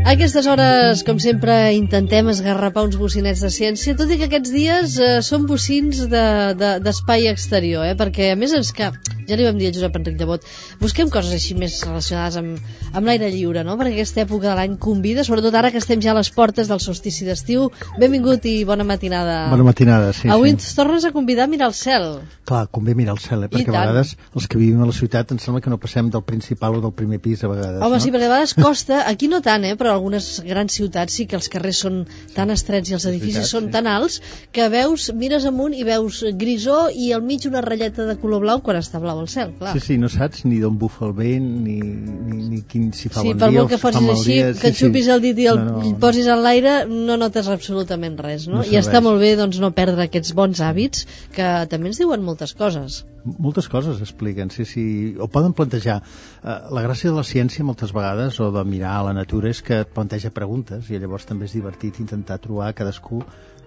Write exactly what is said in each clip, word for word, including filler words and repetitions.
A aquestes hores, com sempre, intentem esgarrapar uns bocinets de ciència, tot i que aquests dies eh, són bocins d'espai de, de, exterior, eh? Perquè a més és que, ja li vam dir a Josep Enric Llebot, busquem coses així més relacionades amb, amb l'aire lliure, no? Perquè aquesta època de l'any convida, sobretot ara que estem ja a les portes del solstici d'estiu. Benvingut i bona matinada. Bona matinada, sí. Avui sí. ens tornes a convidar a mirar el cel. Clar, convé mirar el cel, eh? Perquè a vegades els que vivim a la ciutat ens sembla que no passem del principal o del primer pis a vegades. Home, no? sí, perquè a vegades costa, aquí no tant, eh? Però algunes grans ciutats sí que els carrers són tan estrets i els edificis veritat, són sí. tan alts que veus, mires amunt i veus grisó i al mig una ratlleta de color blau quan està blau el cel, clar. Sí, sí, no saps ni d'on bufa el vent ni, ni, ni quin, si fa sí, bon dia dia o si fa mal dia. Sí, per molt que fotis així, que et xupis el dit i el no, no. posis en l'aire, no notes absolutament res, no? no I està molt bé doncs, no perdre aquests bons hàbits que també ens diuen moltes coses. Moltes coses expliquen, sí, sí. O poden plantejar. Uh, la gràcia de la ciència moltes vegades, o de mirar a la natura, és que et planteja preguntes i llavors també és divertit intentar trobar cadascú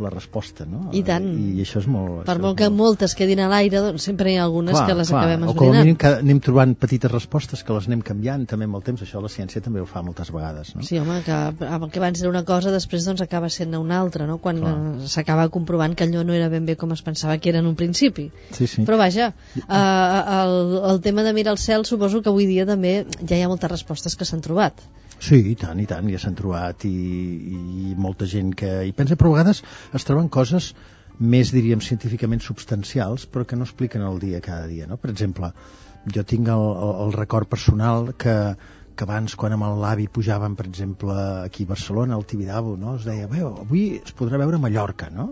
la resposta, no? I tant. I, i això és molt... Per això molt que molt... moltes quedin a l'aire, doncs sempre hi ha algunes clar, que les clar. acabem esbrinant. O com a mínim que anem trobant petites respostes que les anem canviant també amb el temps. Això la ciència també ho fa moltes vegades, no? Sí, home, que, que abans era una cosa, després doncs acaba sent una altra, no? Quan s'acaba comprovant que allò no era ben bé com es pensava que era en un principi. Sí, sí. Però vaja, eh, el, el tema de mirar el cel suposo que avui dia també ja hi ha moltes respostes que s'han trobat. Sí, i tant, i tant, ja s'han trobat i, i molta gent que hi pensa, però a vegades es troben coses més, diríem, científicament substancials, però que no expliquen el dia cada dia, no? Per exemple, jo tinc el, el, el record personal que, que abans, quan amb l'avi pujàvem, per exemple, aquí a Barcelona, al Tibidabo, no? Es deia, bé, avui es podrà veure Mallorca, no?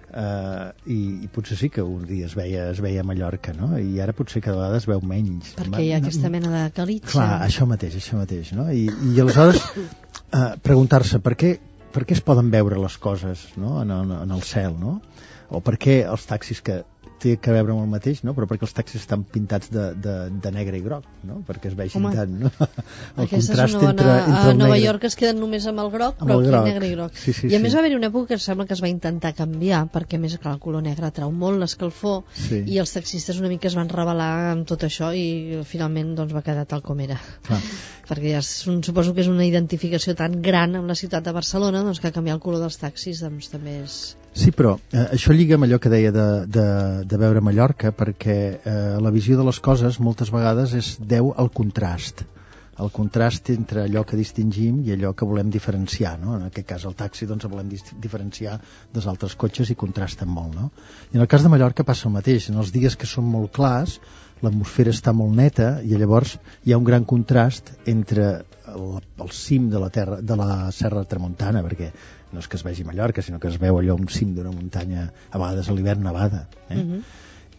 Uh, i, i potser sí que un dia es veia, es veia a Mallorca, no? I ara potser cada vegada es veu menys. Perquè hi ha aquesta mena de calitxa. Clar, això mateix, això mateix, no? I, i aleshores uh, preguntar-se per què, per què es poden veure les coses, no? en, el, en el cel, no? O per què els taxis que té que veure amb el mateix, no? Però perquè els taxis estan pintats de, de, de negre i groc, no? Perquè es vegin Home, tant, no? El contrast bona, entre, entre el Nova negre. York es queden només amb el groc, però aquí groc. negre i groc. Sí, sí, I a més sí. va haver-hi una època que sembla que es va intentar canviar, perquè a més clar, el color negre atrau molt l'escalfor, sí. i els taxistes una mica es van rebel·lar amb tot això i finalment doncs, va quedar tal com era. Clar. Perquè ja és un, suposo que és una identificació tan gran amb la ciutat de Barcelona doncs, que canviar el color dels taxis doncs, també és... Sí, però eh, això lliga amb allò que deia de, de, de veure Mallorca, perquè eh, la visió de les coses moltes vegades és deu al contrast. El contrast entre allò que distingim i allò que volem diferenciar, no? En aquest cas el taxi doncs el volem diferenciar dels altres cotxes i contrasten molt, no? I en el cas de Mallorca passa el mateix. En els dies que són molt clars, l'atmosfera està molt neta i llavors hi ha un gran contrast entre el, el cim de la, terra, de la Serra Tramuntana, perquè no és que es vegi Mallorca, sinó que es veu allò un cim d'una muntanya, a vegades a l'hivern nevada, eh? Uh-huh.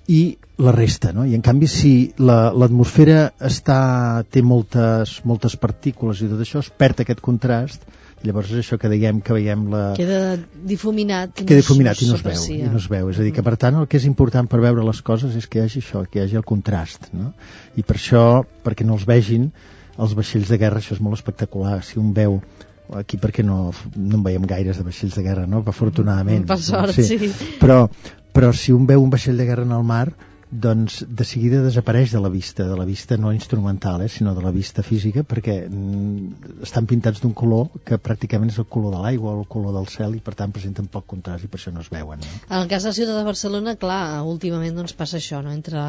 I la resta, no? I en canvi si la, l'atmosfera està, té moltes, moltes partícules i tot això, es perd aquest contrast, llavors és això que dèiem que veiem la... Queda difuminat, queda no difuminat i no es veu, i no es veu. És a dir, que per tant el que és important per veure les coses és que hi hagi això, que hi hagi el contrast, no? I per això, perquè no els vegin els vaixells de guerra, això és molt espectacular. Si un veu aquí perquè no, no en veiem gaires de vaixells de guerra, no? Afortunadament. Per sort, sí. sí. Però, però si un veu un vaixell de guerra en el mar, doncs de seguida desapareix de la vista, de la vista no instrumental, eh, sinó de la vista física, perquè mm, estan pintats d'un color que pràcticament és el color de l'aigua o el color del cel i per tant presenten poc contrast i per això no es veuen. No? En el cas de la ciutat de Barcelona, clar, últimament doncs, passa això, no? Entre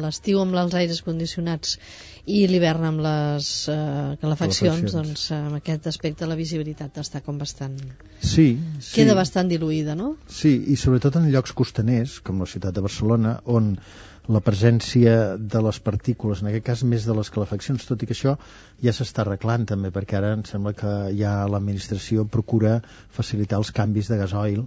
l'estiu amb els aires condicionats i l'hivern amb les eh, calefaccions, doncs amb aquest aspecte la visibilitat està com bastant... Sí, sí. Queda bastant diluïda, no? Sí, i sobretot en llocs costaners, com la ciutat de Barcelona, on la presència de les partícules, en aquest cas més de les calefaccions, tot i que això ja s'està arreglant també, perquè ara em sembla que ja l'administració procura facilitar els canvis de gasoil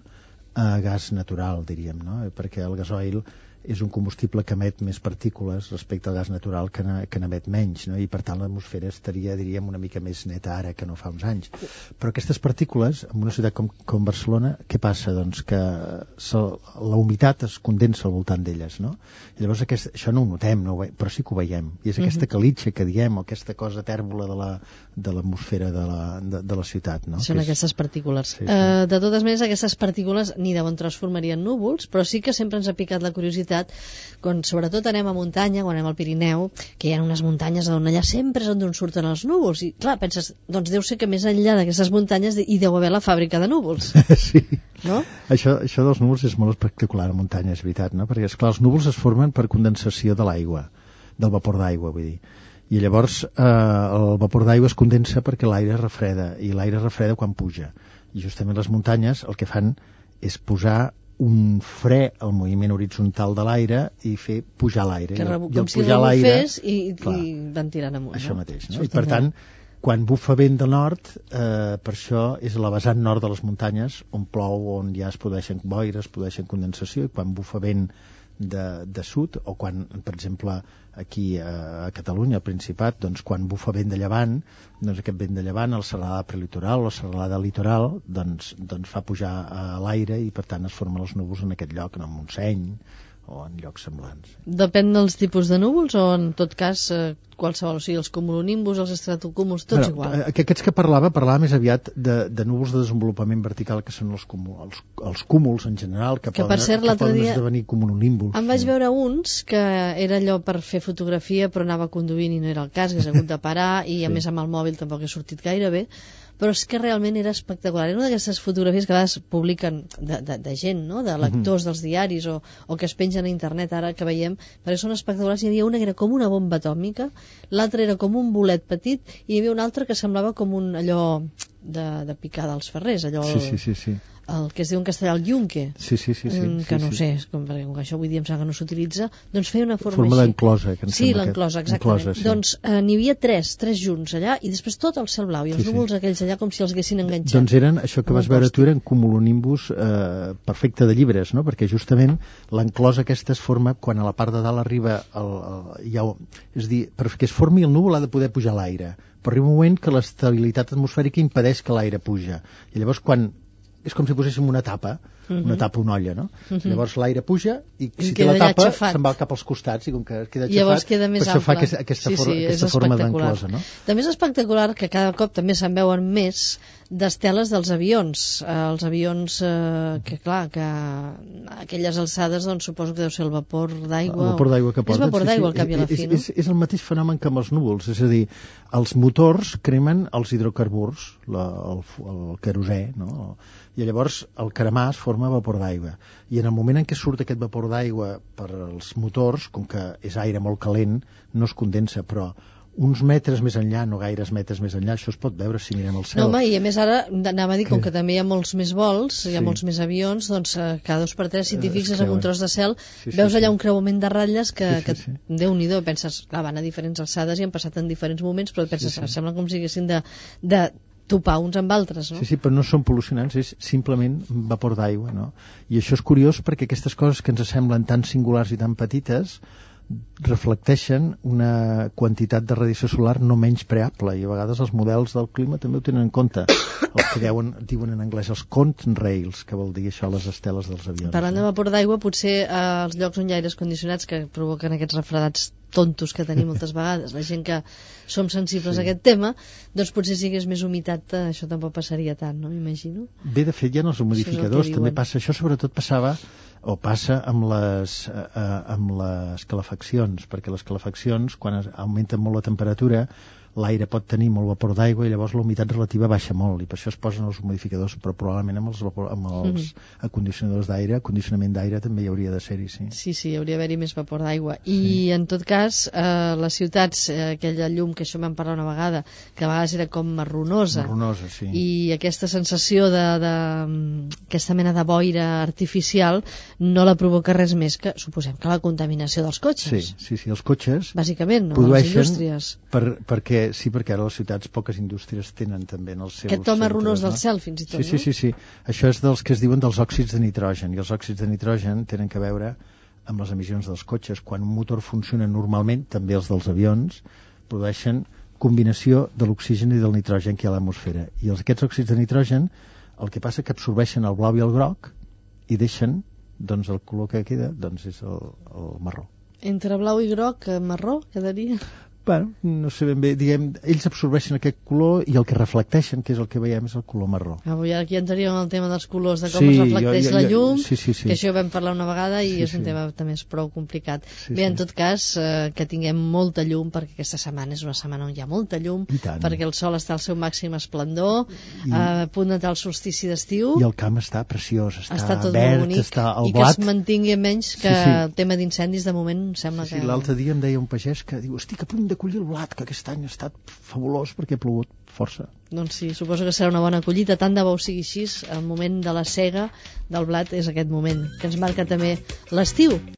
a gas natural, diríem, no? Perquè el gasoil és un combustible que emet més partícules respecte al gas natural que, ne, que n'emet menys, no? I per tant l'atmosfera estaria, diríem, una mica més neta ara que no fa uns anys. Però aquestes partícules, en una ciutat com, com Barcelona, què passa? Doncs que la humitat es condensa al voltant d'elles, no? I llavors aquest, això no ho notem, no ho ve, però sí que ho veiem. I és aquesta calitxa que diem, o aquesta cosa tèrbola de la, de l'atmosfera de la, de, de la ciutat, no? Són que aquestes és... partícules. Sí, sí. Uh, de totes maneres, aquestes partícules ni deuen transformarien núvols, però sí que sempre ens ha picat la curiositat veritat, quan sobretot anem a muntanya, quan anem al Pirineu, que hi ha unes muntanyes on allà sempre és on surten els núvols, i clar, penses, doncs deu ser que més enllà d'aquestes muntanyes hi deu haver la fàbrica de núvols. Sí, no? Això, això dels núvols és molt espectacular a muntanya, és veritat, no? Perquè, esclar, els núvols es formen per condensació de l'aigua, del vapor d'aigua, vull dir. I llavors eh, el vapor d'aigua es condensa perquè l'aire es refreda, i l'aire es refreda quan puja. I justament les muntanyes el que fan és posar un fre al moviment horitzontal de l'aire i fer pujar l'aire. Que rebu, I com si rebufés i, clar, i van tirant amunt. Això no? mateix, no? I per tant, quan bufa vent de nord, eh, per això és la vessant nord de les muntanyes on plou, on ja es produeixen boires, es produeixen condensació, i quan bufa vent de, de sud, o quan, per exemple, aquí a, a Catalunya, al Principat, doncs quan bufa vent de llevant, doncs aquest vent de llevant, el serralada prelitoral o el serralada litoral, doncs, doncs fa pujar a l'aire i per tant es formen els núvols en aquest lloc, en el Montseny o en llocs semblants. Depèn dels tipus de núvols o en tot cas eh, qualsevol, o sigui, els cumulonimbus, els estratocúmuls, tots bueno, igual? Aquests que parlava, parlava més aviat de, de núvols de desenvolupament vertical, que són els, cúmul, els, els cúmuls en general, que, que poden, per cert, que poden dia esdevenir cumulonimbus. Em vaig veure uns que era allò per fer fotografia però anava conduint i no era el cas, que s'ha hagut de parar i a sí. més amb el mòbil tampoc he sortit gaire bé, però és que realment era espectacular. Era una d'aquestes fotografies que a vegades publiquen de, de, de gent, no? De lectors dels diaris o, o que es pengen a internet ara que veiem, perquè són espectaculars. Hi havia una que era com una bomba atòmica, l'altra era com un bolet petit i hi havia una altra que semblava com un allò de, de picar dels ferrers, allò sí, sí, sí, sí. el que es diu en castellà el yunque, sí, sí, sí, sí, que sí, no sí. sé, com, perquè com que això avui dia em sembla que no s'utilitza, doncs feia una forma, forma així. d'enclosa, que em sí, sembla l'enclosa, que... exactament. Enclosa, sí. Doncs eh, n'hi havia tres, tres junts allà, i després tot el cel blau, i els sí, núvols sí. aquells allà com si els haguessin enganxat. Doncs eren, això que vas veure tu, eren cumulonimbus eh, perfecte de llibres, no? Perquè justament l'enclosa aquesta es forma quan a la part de dalt arriba el, el, ja, és a dir, perquè es formi el núvol ha de poder pujar l'aire, però arriba un moment que l'estabilitat atmosfèrica impedeix que l'aire puja, i llavors quan és com si poséssim una tapa, uh-huh. una tapa, una olla, no? Uh-huh. Llavors l'aire puja i si té la tapa se'n va cap als costats i com que queda llavors xafat, queda més per això ample. fa aquesta, aquesta, sí, for sí, aquesta forma d'enclosa, no? També és espectacular que cada cop també se'n veuen més d'esteles dels avions. Eh, els avions, eh, que clar, que a aquelles alçades doncs suposo que deu ser el vapor d'aigua. El vapor d'aigua que porten. És vapor d'aigua sí, sí. al cap i a la fi, és, no? És, és el mateix fenomen que amb els núvols, és a dir, els motors cremen els hidrocarburs, la, el, el querosè, no? I llavors el cremar es forma vapor d'aigua. I en el moment en què surt aquest vapor d'aigua per als motors, com que és aire molt calent, no es condensa, però uns metres més enllà, no gaires metres més enllà, això es pot veure si mirem el cel. No, home, i a més ara, anava a dir, com que també hi ha molts més vols, hi ha sí. molts més avions, doncs cada dos per tres, si t'hi fixes uh, en un tros de cel, sí, sí, veus allà sí. un creuament de ratlles que, sí, sí, sí. que Déu-n'hi-do, penses, clar, van a diferents alçades i han passat en diferents moments, però penses, sí, sí. sembla com si haguessin de, de topar uns amb altres, no? Sí, sí, però no són pol·lucionants, és simplement vapor d'aigua, no? I això és curiós perquè aquestes coses que ens semblen tan singulars i tan petites reflecteixen una quantitat de radiació solar no menys preable, i a vegades els models del clima també ho tenen en compte, els que deuen, diuen en anglès els contrails, que vol dir això, les esteles dels avions. Parlant de vapor d'aigua, potser eh, als llocs on hi ha aires condicionats que provoquen aquests refredats tontos que tenim moltes vegades, la gent que som sensibles sí. a aquest tema, doncs potser si hagués més humitat eh, això tampoc passaria tant, no? M'imagino. Bé, de fet, hi ha els humidificadors, també passa, això sobretot passava o passa amb les, eh, amb les calefaccions, perquè les calefaccions, quan es, augmenten molt la temperatura, l'aire pot tenir molt vapor d'aigua i llavors la humitat relativa baixa molt, i per això es posen els humidificadors, però probablement amb els, vapor, amb els mm-hmm. acondicionadors d'aire, condicionament d'aire també hi hauria de ser-hi, sí. Sí, sí, hauria d'haver-hi més vapor d'aigua. I sí. en tot cas, eh, les ciutats, eh, aquella llum que això vam parlar una vegada, que a vegades era com marronosa, marronosa sí. i aquesta sensació de, de aquesta mena de boira artificial no la provoca res més que, suposem, que la contaminació dels cotxes. Sí, sí, sí, els cotxes bàsicament, no? Produeixen les indústries. Per, perquè sí, perquè ara les ciutats poques indústries tenen també en els seus... Aquest to marronós no? del cel, fins i tot, sí, sí, no? Sí, sí, sí. Això és dels que es diuen dels òxids de nitrogen, i els òxids de nitrogen tenen que veure amb les emissions dels cotxes. Quan un motor funciona normalment, també els dels avions, produeixen combinació de l'oxigen i del nitrogen que hi ha a l'atmosfera. I els, aquests òxids de nitrogen, el que passa que absorbeixen el blau i el groc i deixen, doncs el color que queda doncs és el, el marró. Entre blau i groc, marró, quedaria... Bueno, no sé ben bé, diguem, ells absorbeixen aquest color i el que reflecteixen, que és el que veiem, és el color marró. Avui aquí entraríem en el tema dels colors, de com sí, es reflecteix jo, jo, la llum, sí, sí, sí. que això ho vam parlar una vegada i sí, és un sí. tema també és prou complicat. Sí, bé, en tot cas, eh, que tinguem molta llum, perquè aquesta setmana és una setmana on hi ha molta llum, perquè el sol està al seu màxim esplendor, I, eh, a punt d'entrar el solstici d'estiu. I el camp està preciós, està, està tot verd, bonic, està el i blat. que es mantingui menys que sí, sí. el tema d'incendis de moment sembla sí, que... Sí, l'altre dia em deia un pagès que diu, estic a punt de collir el blat, que aquest any ha estat fabulós perquè ha plogut força. Doncs sí, suposo que serà una bona collita, tant de bo sigui així, el moment de la sega del blat és aquest moment, que ens marca també l'estiu.